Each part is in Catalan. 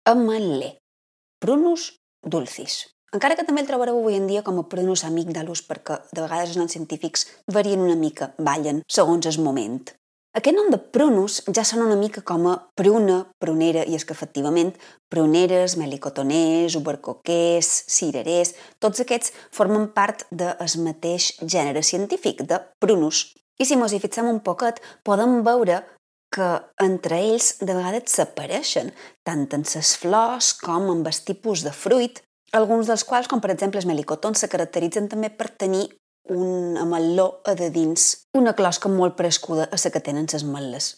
Ametler, Prunus dulcis. Encara que també el trobareu avui en dia com a Prunus amygdalus perquè de vegades els noms científics varien una mica, ballen, segons el moment. Aquest nom de Prunus ja sona una mica com a pruna, prunera, i és que efectivament pruneres, melicotoners, ubercoquers, cirerers, tots aquests formen part del mateix gènere científic, de Prunus. I si mos hi fixem un poquet, podem veure que entre ells de vegades s'apareixen, tant en les flors com en els tipus de fruit, alguns dels quals, com per exemple els melicotons, se caracteritzen també per tenir un ametló a de dins, una closca molt parescuda a la que tenen les ametles.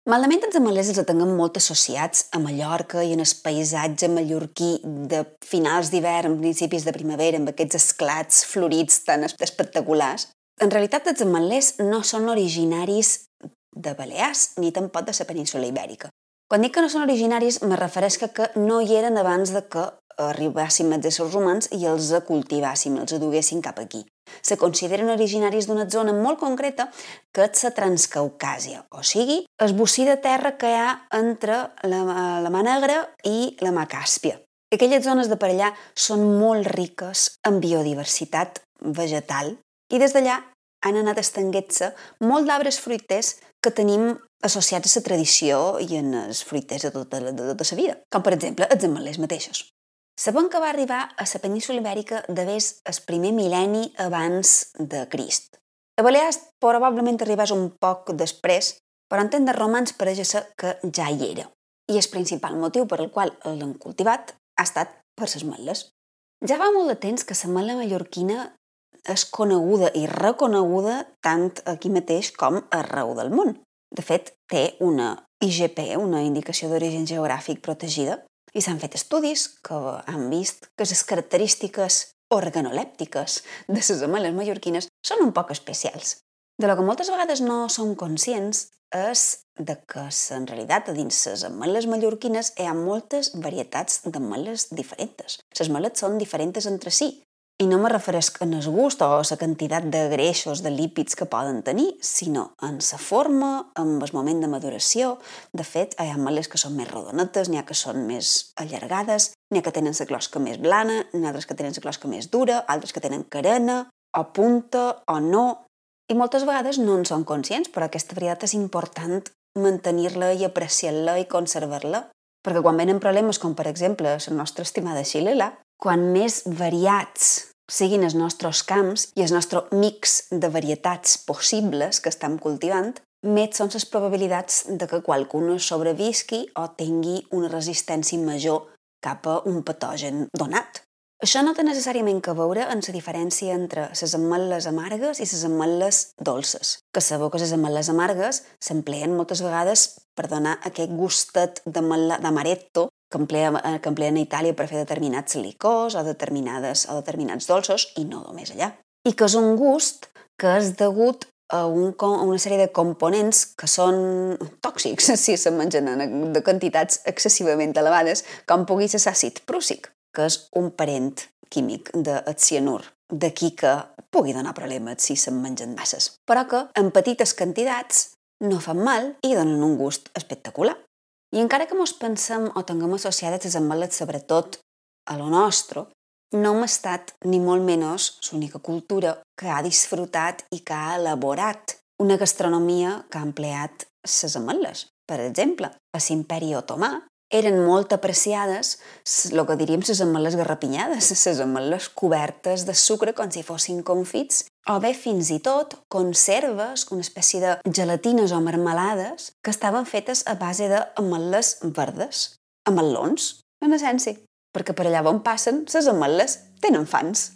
Malament els ametlers els tinguem molt associats a Mallorca i en el paisatge mallorquí de finals d'hivern, principis de primavera, amb aquests esclats florits tan espectaculars. En realitat, els ametlers no són originaris de Balears ni tampoc de la península Ibèrica. Quan dic que no són originaris, me refereixo que no hi eren abans de que arribessin els éssers humans i els cultivàssim, els duguessin cap aquí. Se consideren originaris d'una zona molt concreta que és la Transcaucàsia, o sigui, el bocí de terra que hi ha entre la Mar Negra i la Mar Càspia. Aquelles zones de per allà són molt riques en biodiversitat vegetal i des d'allà han anat estenguent-se molt d'arbres fruiters que tenim associats a la tradició i en els fruiters de tota la vida, com per exemple els ametlers mateixos. Sabem que va arribar a la península Ibèrica d'haver el primer mil·lenni abans de Crist. A Balears probablement arribés un poc després, però en temps de romans pareix ser que ja hi era. I el principal motiu per al qual l'han cultivat ha estat per les ametles. Ja fa molt de temps que l'ametla mallorquina és coneguda i reconeguda tant aquí mateix com arreu del món. De fet, té una IGP, una indicació d'origen geogràfic protegida, i s'han fet estudis que han vist que les característiques organolèptiques de les ametles mallorquines són un poc especials. De lo que moltes vegades no som conscients és de que en realitat a dins les ametles mallorquines hi ha moltes varietats d'ametles diferents. Les ametles són diferents entre si. I no me refereixo en el gust o la quantitat de greixos, de lípids que poden tenir, sinó en la forma, en el moment de maduració. De fet, hi ha ametles que són més rodonetes, n'hi ha que són més allargades, n'hi ha que tenen la closca més blana, n'hi ha altres que tenen la closca més dura, altres que tenen carena, o punta, o no. I moltes vegades no en són conscients, però aquesta varietat és important mantenir-la i apreciar-la i conservar-la. Perquè quan venen problemes, com per exemple la nostra estimada xilel·la, quan més variats siguin els nostres camps i el nostre mix de varietats possibles que estem cultivant, més són les probabilitats de que qualcuna sobrevisqui o tingui una resistència major cap a un patogen donat. Això no té necessàriament a veure amb la diferència entre les ametles amargues i les ametles dolces. Que sabeu que les ametles amargues s'empleen moltes vegades per donar aquest gustet d'amaretto que empleen a Itàlia per fer determinats licors o determinats dolços, i no només allà. I que és un gust que és degut a una sèrie de components que són tòxics si se mengen de quantitats excessivament elevades, com pugui ser l'àcid prússic, que és un parent químic del cianur. D'aquí que pugui donar problemes si se'n mengen masses. Però que en petites quantitats no fan mal i donen un gust espectacular. I encara que mos pensem o tinguem associades les ametles sobretot a lo nostre, no hem estat ni molt menys l'única cultura que ha disfrutat i que ha elaborat una gastronomia que ha empleat les ametles. Per exemple, a l'Imperi Otomà eren molt apreciades el que diríem les ametles garrapinyades, les ametles cobertes de sucre com si fossin confits, o bé fins i tot conserves, una espècie de gelatines o marmelades que estaven fetes a base d'ametles verdes, ametlons, en essència, perquè per allà on passen les ametles tenen fans.